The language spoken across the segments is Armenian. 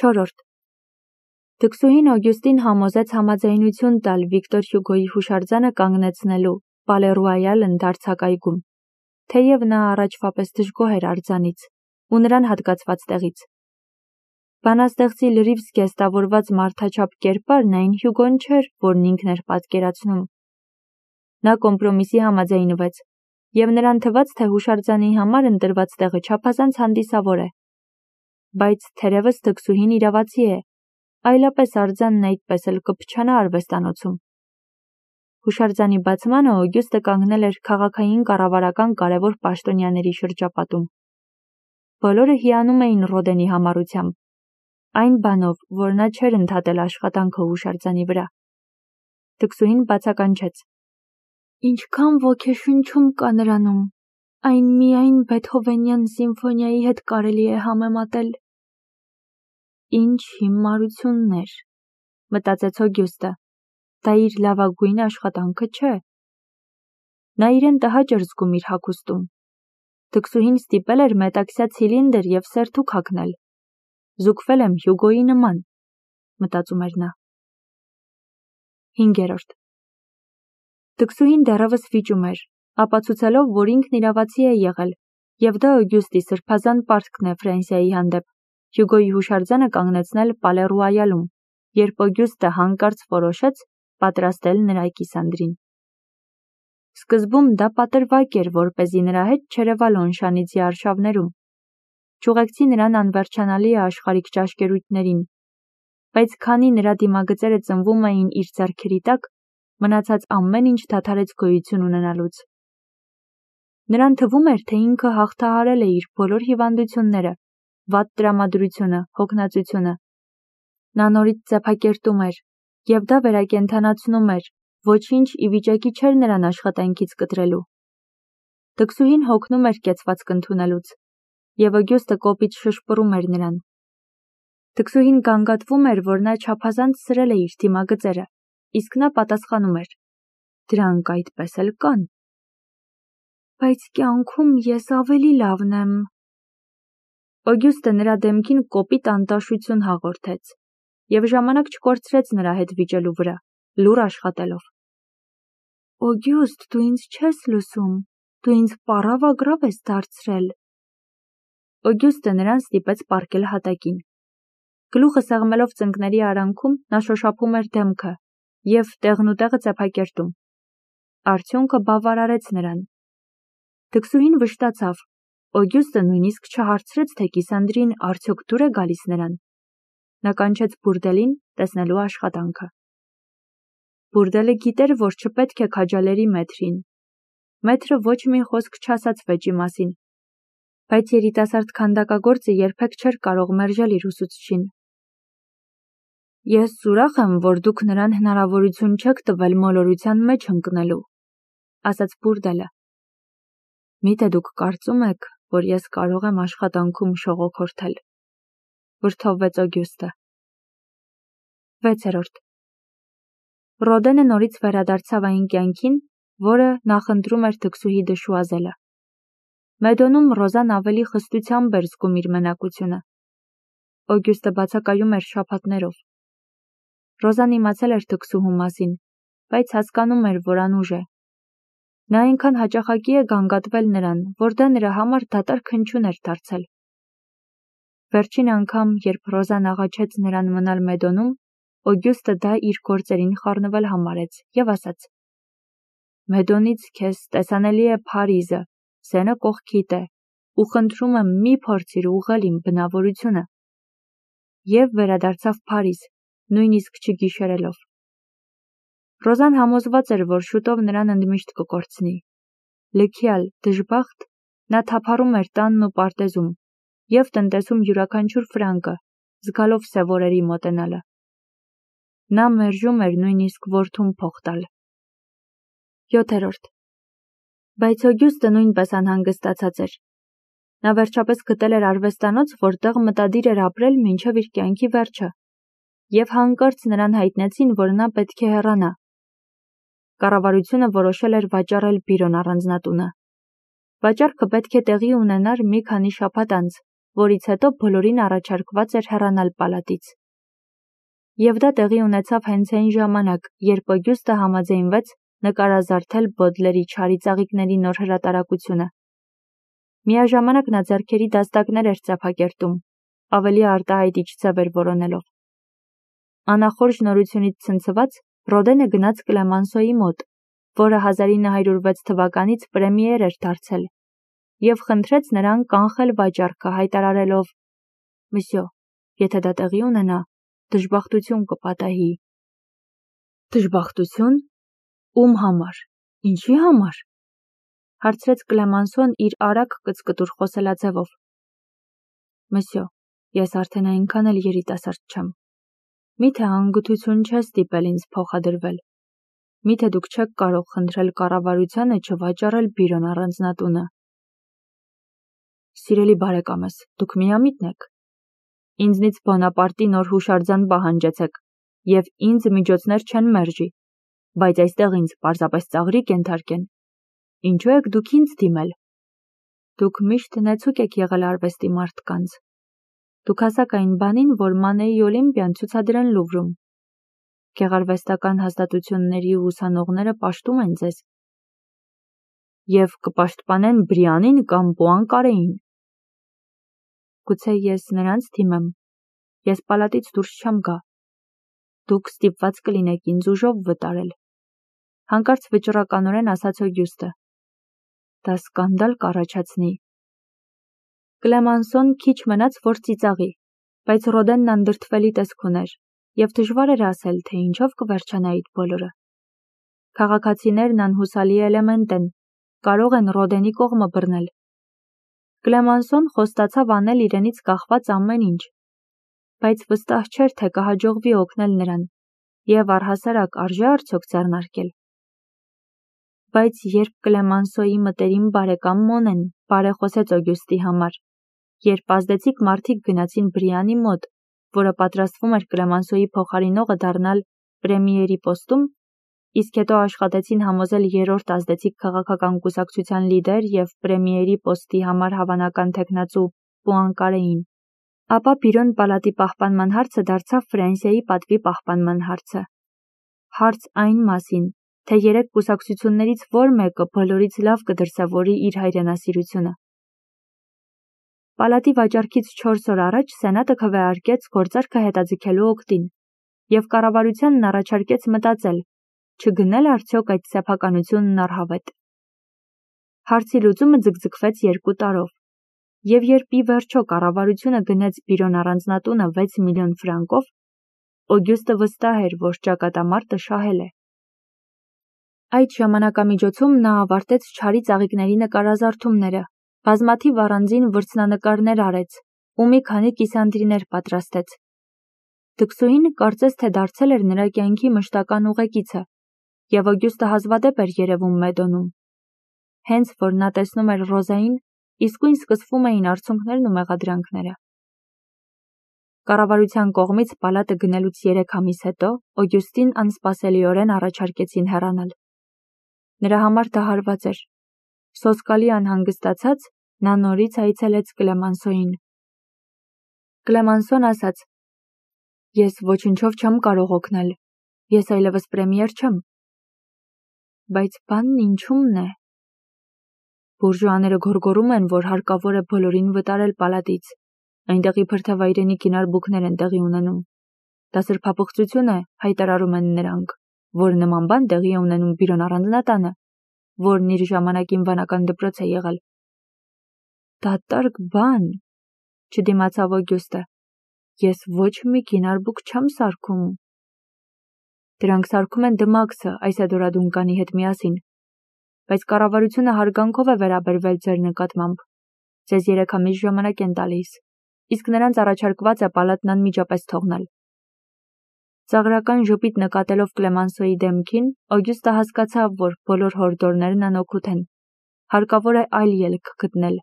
4. Դքսուհին Օգյուստին համոզեց համաձայնություն տալ Վիկտոր Հյուգոյի հուշարձանը կանգնեցնելու Պալե ընդարձակայգում, թեև նա առաջվա պես դժգոհ էր արձանից ու նրան հատկացված տեղից։ Բանաստեղծի լրիվ զգեստավորված մարդաչափ կերպարն այն Հյուգոն չէր, որն ինքն էր պատկերացնում։ Նա կոմպրոմիսի համաձայնվեց, և նրան թվաց, թե հուշարձանի համար ընտրված տեղը չափազանց հանդիսավոր է։ Բայց թերևս դքսուհին իրավացի է, այլապես արձանն այդպես էլ կփչանա արվեստանոցում։ Հուշարձանի բացմանը Օգյուստը կանգնել էր քաղաքային կառավարական կարևոր պաշտոնյաների շրջապատում։ Բոլորը հիանում էին Ռոդենի համառությամբ, այն բանով, որ նա չէր ընդհատել աշխատանքը հուշարձանի վրա։ Դքսուհին բացականչեց. «Ինչքան ոգեշնչում կա նրանում, այն միայն Բեթհովենյան սիմֆոնիայի հետ կարելի է համեմատել»։ Ինչ հիմարություններ, մտածեց Օգյուստը, դա իր լավագույն աշխատանքը չէ։ Նա իրեն տհաճ էր զգում իր հագուստում։ Դքսուհին ստիպել էր մետաքսյա ցիլինդր և սերթուկ հագնել։ Զուգվել եմ Հյուգոյի նման, մտածում էր նա։ 5. Դքսուհին դեռևս վիճում էր, ապացուցելով, որ ինքն իրավացի է եղել, և դա Օգյուստի սրբազան պարտքն է Ֆրանսիայի հանդեպ, Հյուգոյի հուշարձանը կանգնեցնել Պալե, երբ Օգյուստը հանկարծ որոշեց պատրաստել նրա կիսանդրին։ Սկզբում դա պատրվակ էր, որպեսզի նրա հետ չերևա Լոնշանիցի արշավներում։ Չուղեկցի նրան անվերջանալի աշխարհիկ ճաշկերույթներին, բայց քանի նրա դիմագծերը ծնվում էին իր ձեռքերի տակ, մնացած ամեն ինչ դադարեց գոյություն ունենալուց։ Նրան թվում էր, թե ինքը հաղթահարել է իր բոլոր հիվանդությունները, վատ տրամադրությունը, հոգնածությունը։ Նա նորից ձեփակերտում էր, և դա վերակենդանացնում էր, ոչինչ ի վիճակի չէր նրան աշխատանքից կտրելու։ Դքսուհին հոգնում էր կեցվածք ընդունելուց, և Օգյուստը կոպիտ շշպռում էր նրան։ Դքսուհին գանգատվում էր, որ նա չափազանց սրել է իր դիմագծերը, իսկ նա պատասխանում էր. «Դրանք այդպես էլ կան»։ Բայց կյանքում ես ավելի լավն եմ։ Օգյուստը նրա դեմքին կոպիտ անտաշություն հաղորդեց և ժամանակ չկորցրեց նրա հետ վիճելու վրա, լուռ աշխատելով։ Օգյուստ, դու ինձ չես լսում, դու ինձ պառավ-ագրավ ես դարձրել։ Օգյուստը նրան ստիպեց պառկել հատակին։ Գլուխը սեղմելով ծնկների արանքում, նա շոշափում էր դեմքը և տեղնուտեղը ձեփակերտում։ Արդյունքը բավարարեց նրան։ Դքսուհին վշտացավ։ Օգյուստը նույնիսկ չհարցրեց, թե կիսանդրին արդյոք դուր է գալիս նրան։ Նա կանչեց բուրդելին տեսնելու աշխատանքը։ Բուրդելը գիտեր, որ չպետք է քաջալերի մեթրին։ Մեթրը ոչ մի խոսք չասաց վեճի մասին, բայց երիտասարդ քանդակագործը երբեք չէր կարող մերժել իր ուսուցչին։ Ես ուրախ եմ, որ դուք նրան հնարավորություն չեք տվել մոլորության մեջ ընկնելու, ասաց բուրդելը։ Միթե դուք կարծում եք, որ ես կարող եմ աշխատանքում շողոքորթել, վրդովվեց Օգյուստը։ 6. Ռոդենը նորից վերադարձավ այն կյանքին, որը նախընտրում էր դքսուհի դշուազելը։ Մեդոնում Ռոզան ավելի խստությամբ էր զգում իր մենակությունը։ Օգյուստը բացակայում էր շաբաթներով։ Ռոզան իմացել էր դքսուհու մասին, բայց հասկանում էր, որ անուժ է։ Նա այնքան հաճախակի է գանգատվել նրան, որ դա նրա համար դատարկ հնչյուն էր դարձել։ Վերջին անգամ, երբ Ռոզան աղաչեց նրան մնալ Մեդոնում, Օգյուստը դա իր գործերին խառնվել համարեց և ասաց. Մեդոնից քեզ տեսանելի է Փարիզը, Սենը կողքիդ է, ու խնդրում եմ մի փորձիր ուղղել իմ բնավորությունը։ Եվ վերադարձավ Փարիզ, նույնիսկ չգիշերելով։ Ռոզան համոզված էր, որ շուտով նրան ընդմիշտ կկորցնի։ Լքյալ, դժբախտ, նա թափառում էր տանն ու պարտեզում և տնտեսում յուրաքանչյուր ֆրանկը, զգալով սև օրերի մոտենալը։ Նա մերժում էր նույնիսկ որդուն փող տալ։ 7. Բայց Օգյուստը նույնպես անհանգստացած էր։ Նա վերջապես գտել էր արվեստանոց, որտեղ մտադիր էր ապրել մինչև իր կյանքի վերջը, և հանկարծ նրան հայտնեցին, որ նա պետք է հեռանա։ Կառավարությունը որոշել էր վաճառել բիրոն առանձնատունը։ Վաճառքը պետք է տեղի ունենար մի քանի շաբաթ անց, որից հետո բոլորին առաջարկված էր հեռանալ պալատից։ Եվ դա տեղի ունեցավ հենց այն ժամանակ, երբ Օգյուստը համաձայնվեց նկարազարդել Բոդլերի «Չարի ծաղիկների» նոր հրատարակությունը։ Միաժամանակ նա ձեռքերի դաստակներ էր ծափակերտում, ավելի արտահայտիչ ձևեր որոնելով։ Անախորժ նորությունից ցնցված Ռոդենը գնաց Կլեմանսոյի մոտ, որը 1906 թվականից պրեմիեր էր դարձել, եւ խնդրեց նրան կանխել վաճառքը, հայտարարելով. «Մսյո, եթե դա տեղի ունենա, դժբախտություն կպատահի»։ Դժբախտություն։ Ում համար, ինչի համար, հարցրեց Կլեմանսոն իր արագ կծկտուր խոսելաձևով։ Մսյո, ես արդեն այնքան էլ երիտասարդ չեմ։ Միթե անգթություն չէ ստիպել ինձ փոխադրվել։ Միթե դուք չեք կարող խնդրել կառավարությանը չվաճառել բյուրոն առանձնատունը։ Սիրելի բարեկամս, դուք միամիտն եք։ Ինձնից Բոնապարտի նոր հուշարձան պահանջեցեք, եւ ինձ միջոցներ չեն մերժի, բայց այստեղ ինձ պարզապես ծաղրիկ ենթարկեն։ Ինչու եք դուք ինձ դիմել։ Դուք միշտ նեցուկ եք եղել արվեստի մարդկանց։ Դուք հասաք այն բանին, որ Մանեի Օլիմպիան ցուցադրեն Լուվրում։ Գեղարվեստական հաստատությունների ուսանողները պաշտում են ձեզ։ Եվ կպաշտպանեն Բրիանին կամ Պուանկարեին։ Գուցե ես նրանց դիմեմ։ Ես պալատից դուրս չեմ գա։ Դուք ստիպված կլինեք ինձ ուժով վտարել։ Հանկարծ վճռականորեն ասաց Օգյուստը։ Դա սկանդալ կառաջացնի։ Կլեմանսոն քիչ մնաց, որ ծիծաղի, բայց Ռոդենն անդրդվելի տեսք ուներ, եւ դժվար էր ասել, թե ինչով կվերջանա այդ բոլորը։ Քաղաքացիներն անհուսալի էլեմենտ են, կարող են Ռոդենի կողմը բռնել։ Կլեմանսոն խոստացավ անել իրենից կախված ամեն ինչ, բայց վստահ չէր, թե կհաջողվի օգնել նրան, եւ առհասարակ արժե արդյոք ձեռնարկել։ Բայց երբ Կլեմանսոյի մտերիմ բարեկամ Մոնեն բարեխոսեց Օգյուստի համար, երբ ազդեցիկ մարդիկ գնացին Բրիանի մոտ, որը պատրաստվում էր Կլեմանսոյի փոխարինողը դառնալ պրեմիերի պոստում, իսկ հետո աշխատեցին համոզել երրորդ ազդեցիկ քաղաքական կուսակցության լիդեր եւ պրեմիերի պոստի համար հավանական թեկնածու Պուանկարեին, ապա բյուրոն պալատի պահպանման հարցը դարձավ Ֆրանսիայի պատվի պահպանման հարցը։ Հարց այն մասին, թե երեք կուսակցություններից որ մեկը բոլորից լավ կդրսևորի իր հայրենասիրությունը։ Պալատի վաճառքից 4 օր առաջ Սենատը քվեարկեց գործարքը հետաձգելու օգտին, եւ կառավարությանն առաջարկեց մտածել, չգնել արդյոք այդ սեփականությունն առհավետ։ Հարցի լուծումը ձգձգվեց 2 տարով, եւ երբ ի վերջո կառավարությունը գնեց բյուրոն առանձնատունը 6 միլիոն ֆրանկով, Օգյուստը վստահ էր, որ ճակատամարտը շահել է։ Այդ ժամանակամիջոցում նա ավարտեց «Չարի ծաղիկների» նկարազարդումները, բազմաթիվ առանձին վրձնանկարներ արեց ու մի քանի կիսանդրիներ պատրաստեց։ Դքսուհին կարծես թե դարձել էր նրա կյանքի մշտական ուղեկիցը, եւ Օգյուստը հազվադեպ էր երևում Մեդոնում։ Հենց որ նա տեսնում էր Ռոզային, իսկույն սկսվում էին արցունքներն ու մեղադրանքները։ Կառավարության կողմից պալատը գնելուց 3 ամիս հետո Օգյուստին անսպասելիորեն առաջարկեցին հեռանալ։ Նրա համար դա հարված էր։ Սոսկալի անհանգստացած, նա նորից այցելեց Կլեմանսոյին։ Կլեմանսոն ասաց. Ես ոչնչով չեմ կարող օգնել, ես այլևս պրեմիեր չեմ։ Բայց բանն ինչումն է։ Բուրժուաները գոռգոռում են, որ հարկավոր է բոլորին վտարել պալատից, այնտեղ իբր թե վայրենի կինարբուքներ են տեղի ունենում։ Դա սրբապղծություն է, հայտարարում են նրանք, որ նման բան տեղի է ունենում բյուրոն առանձնատանը, որն իր ժամանակին վանական դպրոց է եղել։ Դատարկ բան, չդիմացավ Օգյուստը։ Ես ոչ մի կինարբուք չեմ սարքում։ Դրանք սարքում են Դմաքսը Այսեդորա Դունկանի հետ միասին, բայց կառավարությունը հարգանքով է վերաբերվել ձեր նկատմամբ։ Ձեզ 3 ամիս ժամանակ են տալիս, իսկ նրանց առաջարկված է պալատն անմիջապես թողնել։ Ծաղրական ժպիտ նկատելով Կլեմանսոյի դեմքին, Օգյուստը հասկացավ, որ բոլոր հորդորներն անօգուտ են։ Հարկավոր է այլ ելք գտնել։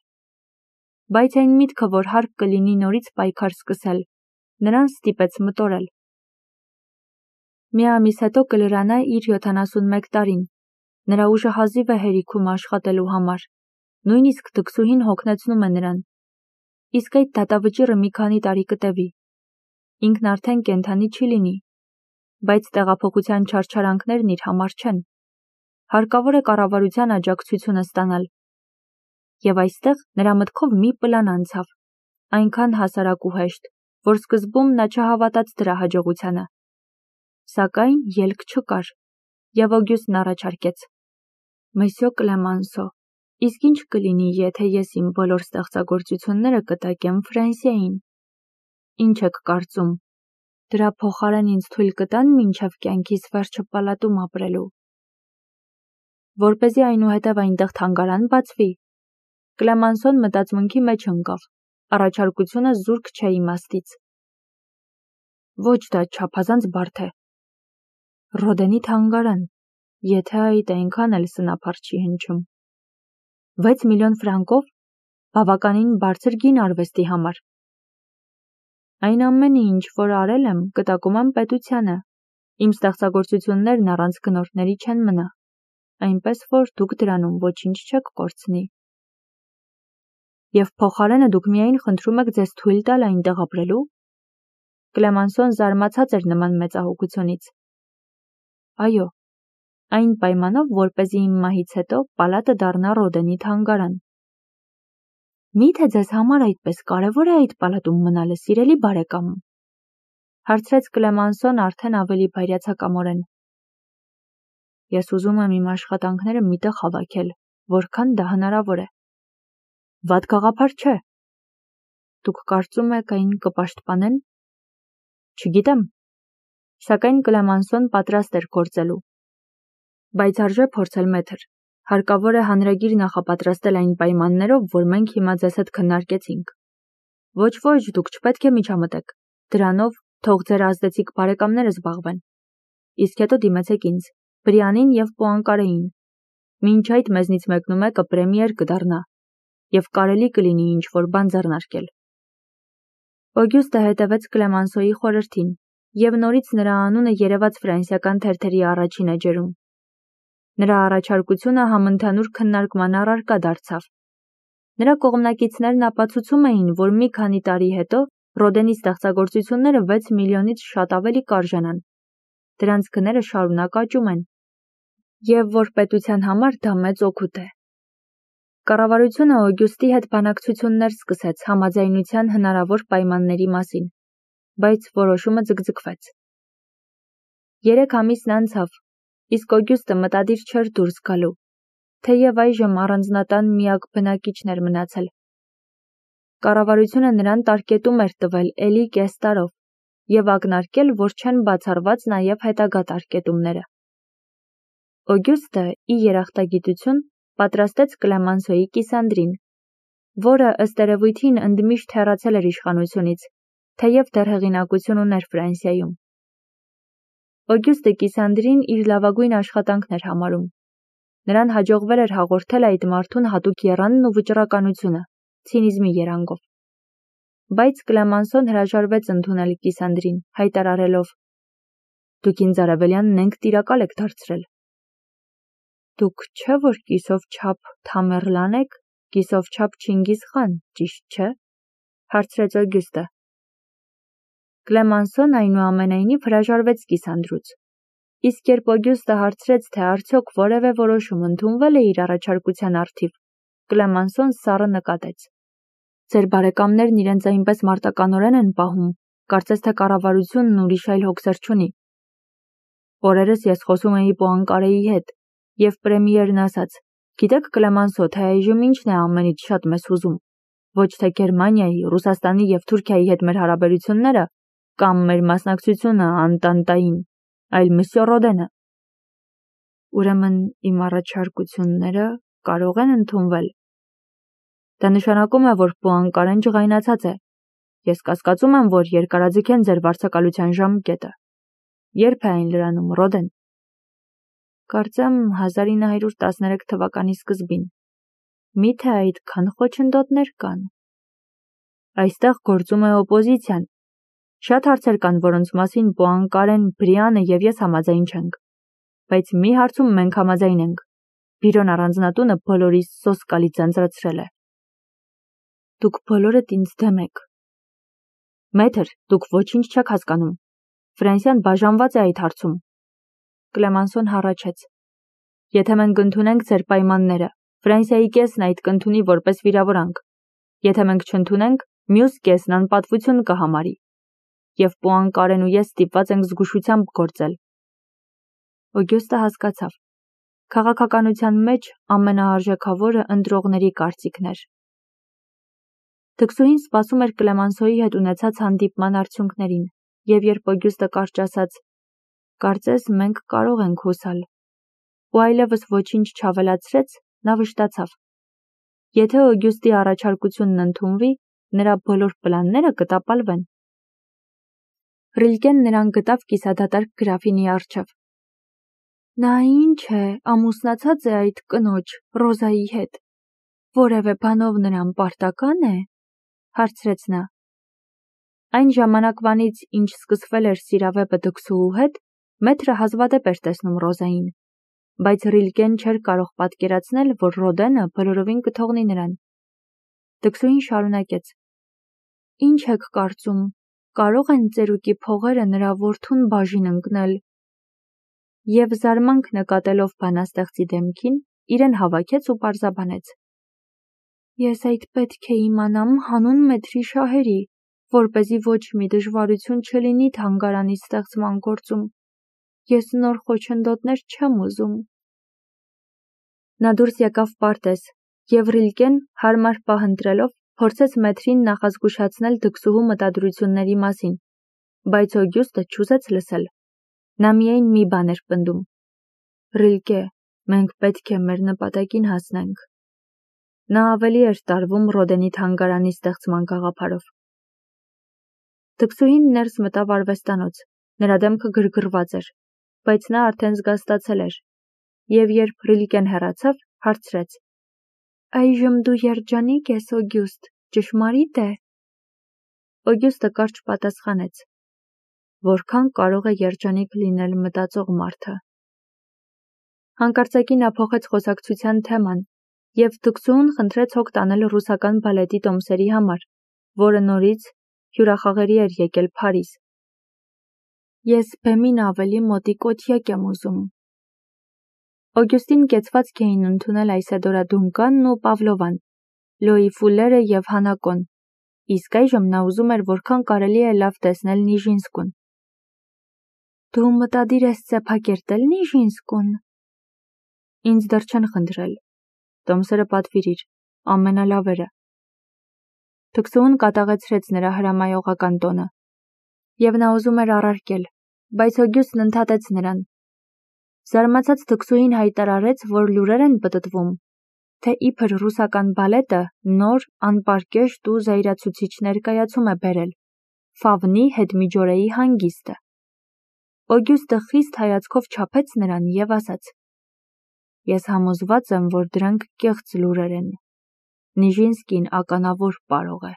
Բայց այն միտքը, որ հարկ կլինի նորից պայքար սկսել, նրան ստիպեց մտորել։ Մի ամիս հետո կլրանա իր 71 տարին։ Նրա ուժը հազիվ է հերիքում աշխատելու համար։ Նույնիսկ դքսուհին հոգնեցնում է նրան։ իսկ այդ դատավճիռը մի քանի տարի կտևի։ Ինքն արդեն կենդանի չի լինի, բայց տեղափոխության չարչարանքներն իր համար չեն։ Հարկավոր է կառավարության աջակցությունը ստանալ։ Եվ այստեղ նրա մտքով մի պլան անցավ, այնքան հասարակ ու հեշտ, որ սկզբում նա չհավատաց դրա հաջողությանը։ Սակայն ելք չկար, եւ Օգյուստն առաջարկեց. «Մսյո Կլեմանսո, իսկ ինչ կլինի, եթե ես իմ բոլոր ստեղծագործությունները կտակեմ Ֆրանսիային։ Ինչ եք կարծում, դրա փոխարեն ինձ թույլ կտան մինչև կյանքիս վերջը պալատում ապրելու։ Որպեսզի այնուհետև այնտեղ թանգարան բացվի»։ Կլեմանսոն մտածմունքի մեջ ընկավ, առաջարկությունը զուրկ չէ իմաստից։ Ոչ, դա չափազանց բարդ է։ Ռոդենի թանգարան, եթե այդ այնքան էլ սնափար չի հնչում։ 6 միլիոն ֆրանկով, բավականին բարձր գին արվեստի համար։ Այն ամենը, ինչ որ արել եմ, կտակում եմ պետությանը։ Իմ ստեղծագործություններն առանց գնորդների չեն մնա, այնպես որ դուք դրանում ոչինչ չեք կորցնի։ Եվ փոխարենը դուք միայն խնդրում եք ձեզ թույլ տալ այնտեղ ապրելու։ Կլեմանսոն զարմացած էր նման մեծահոգությունից։ Այո, այն պայմանով, որպեսզի իմ մահից հետո պալատը դառնա Ռոդենի թանգարան։ Միթե ձեզ համար այդպես կարևոր է այդ պալատում մնալը, սիրելի բարեկամ, հարցրեց Կլեմանսոն արդեն ավելի բայրացակամորեն։ Ես ուզում եմ իմ աշխատանքները միտեղ հավաքել, որքան դա հնարավոր է։ Վատ գաղափար չէ։ Դուք կարծում եք այն կպաշտպանեն։ Չգիտեմ։ Սակայն Կլեմանսոն պատրաստ էր գործելու։ Բայց արժե փորձել մետր։ Հարկավոր է հանրագիր նախապատրաստել այն պայմաններով, որ մենք հիմա ձեզ հետ քննարկեցինք։ Ոչ, դուք չպետք է միջամտեք։ Դրանով թող ձեր ազդեցիկ բարեկամները զբաղվեն։ Իսկ հետո դիմեցեք ինձ, Բրիանին եւ Պուանկարեին։ Մինչ այդ մեզնից մեկնումեկը պրեմիեր կդառնա, եւ կարելի կլինի ինչ-որ բան ձեռնարկել։ Օգյուստը հետևեց Կլեմանսոյի խորհրդին, եւ նորից նրա անունը երևաց ֆրանսիական թերթերի առաջին էջերում։ Նրա առաջարկությունը համընդհանուր քննարկման առարկա դարձավ։ Նրա կողմնակիցներն ապացուցում էին, որ մի քանի տարի հետո Ռոդենի ստեղծագործությունները 6 միլիոնից շատ ավելի կարժանան։ Դրանց գները շարունակ աճում են։ Եվ որ պետության համար դա մեծ օգուտ է։ Կառավարությունը Օգյուստի հետ բանակցություններ սկսեց համաձայնության հնարավոր պայմանների մասին, բայց որոշումը ձգձգվեց։ 3 ամիսն անցավ, իսկ Օգյուստը մտադիր չէր դուրս գալու, թեև այժմ առանձնատան միակ բնակիչն էր մնացել։ Կառավարությունը նրան տարկետում էր տվել էլի կես տարով եւ ակնարկել, որ չեն բացառված նաեւ հետագա տարկետումները։ Օգյուստը, ի երախտագիտություն, պատրաստեց Կլեմանսոյի կիսանդրին, որը ըստ երևույթին ընդմիշտ հեռացել էր իշխանությունից, թեև դեռ հեղինակություն ուներ Ֆրանսիայում։ Օգյուստը կիսանդրին իր լավագույն աշխատանքն էր համարում։ Նրան հաջողվել էր հաղորդել այդ մարդուն հատուկ եռանն ու վճռականությունը, ցինիզմի երանգով։ Բայց Կլեմանսոն հրաժարվեց ընդունել կիսանդրին, հայտարարելով. Դուք ինձ արևելյանն ենք տիրակալ եք դարձրել։ Դուք չէ որ կիսով չափ Թամերլան եք, կիսով չափ Չինգիզ խան, ճիշտ չէ, հարցրեց Օգյուստը։ Կլեմանսոն այնուամենայնիվ հրաժարվեց կիսանդրուց։ Իսկ երբ Օգյուստը հարցրեց, թե արդյոք որևէ որոշում ընդունվել է իր առաջարկության առթիվ, Կլեմանսոն սառը նկատեց. Ձեր բարեկամներն իրենց այնպես մարտականորեն են պահում, կարծես թե կառավարությունն ուրիշ այլ հոգսեր չունի։ Օրերս ես խոսում էի Պուանկարեի հետ, եւ պրեմիերն ասաց. Գիտեք Կլեմանսո, թե այժմ ինչն է ամենից շատ մեզ հուզում։ Ոչ թե Գերմանիայի, Ռուսաստանի եւ Թուրքիայի հետ մեր հարաբերությունները, կամ մեր մասնակցությունը Անտանտային, այլ Մսյո Ռոդենը։ Ուրեմն իմ առաջարկությունները կարող են ընդունվել։ Դա նշանակում է, որ Պուանկարեն ջղայնացած է։ Ես կասկածում եմ, որ երկարաձգեն ձեր վարձակալության ժամկետը։ Երբ է այն լրանում, Ռոդեն։ Կարծեմ 1913 թվականի սկզբին։ Միթե այդքան խոչընդոտներ կան։ Այստեղ գործում է օպոզիցիան։ Շատ հարցեր կան, որոնց մասին Պուանկարեն, Բրիանը եւ ես համաձայն չենք։ Բայց մի հարցում մենք համաձայն ենք։ Բիրոն առանձնատունը բոլորիս սոսկալի ձանձրացրել է։ Դուք բոլորդ ինձ դեմ եք։ Մեթր, դուք ոչինչ չեք հասկանում։ Ֆրանսիան բաժանված է այդ հարցում։ Կլեմանսոն հառաչեց։ Եթե մենք ընդունենք ձեր պայմանները, Ֆրանսիայի կեսն այդ կընդունի որպես վիրավորանք։ Եթե մենք չընդունենք, մյուս կեսն անպատվություն կհամարի։ Եվ Պուանկարեն ու ես ստիպված ենք զգուշությամբ գործել։ Օգյուստը հասկացավ։ Քաղաքականության մեջ ամենաարժեքավորը ընտրողների կարծիքն էր։ Թքսուհին սպասում էր Կլեմանսոյի հետ ունեցած հանդիպման արդյունքներին, և երբ Օգյուստը կարճ ասաց. «Կարծես մենք կարող ենք հուսալ», ու այլևս ոչինչ չավելացրեց, նա վշտացավ։ Եթե Օգյուստի առաջարկությունն ընդունվի, նրա բոլոր պլանները կտապալվեն։ Ռիլկեն նրան գտավ կիսադատարկ գրաֆինի առջև։ Նա ինչ է, ամուսնացած է այդ կնոջ, Ռոզայի հետ։ Որևէ բանով նրան պարտական է, հարցրեց նա։ Այն ժամանակվանից, ինչ սկսվել էր սիրավեպը դքսուհու հետ, մեթրը հազվադեպ էր տեսնում Ռոզային, բայց Ռիլկեն չէր կարող պատկերացնել, որ Ռոդենը բոլորովին կթողնի նրան։ Դքսուհին շարունակեց. Ինչ եք կարծում, կարող են ծերուկի փողերը նրա որդուն բաժին ընկնել։ Եվ զարմանք նկատելով բանաստեղծի դեմքին, իրեն հավաքեց ու պարզաբանեց. Ես այդ պետք է իմանամ հանուն մեթրի շահերի, որպեսզի ոչ մի դժվարություն չլինի թանգարանի ստեղծման գործում։ Ես նոր խոչընդոտներ չեմ ուզում։ Նա դուրս եկավ պարտեզ, և Ռիլկեն, հարմար պահ ընտրելով, փորձեց մեթրին նախազգուշացնել դքսուհու մտադրությունների մասին, բայց Օգյուստը չուզեց լսել։ Նա միայն մի բան էր պնդում. Ռիլկե, մենք պետք է մեր նպատակին հասնենք։ Նա ավելի էր տարվում Ռոդենի թանգարանի ստեղծման գաղափարով։ Դքսուհին ներս մտավ արվեստանոց, նրա դեմքը գրգռված էր, բայց նա արդեն զգաստացել էր, և երբ Ռիլկեն հեռացավ, հարցրեց. Այժմ դու երջանիկ ես, Օգյուստ, ճշմարի՞տ է։ Օգյուստը կարճ պատասխանեց. Որքան կարող է երջանիկ լինել մտածող մարդը։ Հանկարծակի նա փոխեց խոսակցության թեման, և դքսուհուն խնդրեց հոգ տանել ռուսական բալետի տոմսերի համար, որը նորից հյուրախաղերի էր եկել Փարիզ։ Ես բեմին ավելի մոտիկ օթյակ եմ ուզում։ Օգյուստին կեցվածք էին ընդունել Այսեդորա Դունկանն ու Պավլովան, Լոյի Ֆուլերը և Հանակոն, իսկ այժմ նա ուզում էր որքան կարելի է լավ տեսնել Նիժինսկուն։ Դու մտադիր ես ծեփակերտել Նիժինսկուն։ Ինձ դեռ չեն խնդրել։ Տոմսերը պատվիրիր, ամենալավերը։ Թքսուհուն կատաղեցրեց նրա հրամայողական տոնը, և նա ուզում էր առարկել, բայց Օգյուստն ընդհատեց նրան։ Զարմացած թքսուհին հայտարարեց, որ լուրեր են պտտվում, թե իբր ռուսական բալետը նոր, անպարկեշտ ու զայրացուցիչ ներկայացում է բերել՝ Ֆավնի հետմիջօրեի հանգիստը։ Օգյուստը խիստ հայացքով չափեց նրան և ասաց. Ես համոզված եմ, որ դրանք կեղծ լուրեր են։ Նիժինսկին ականավոր պարող է։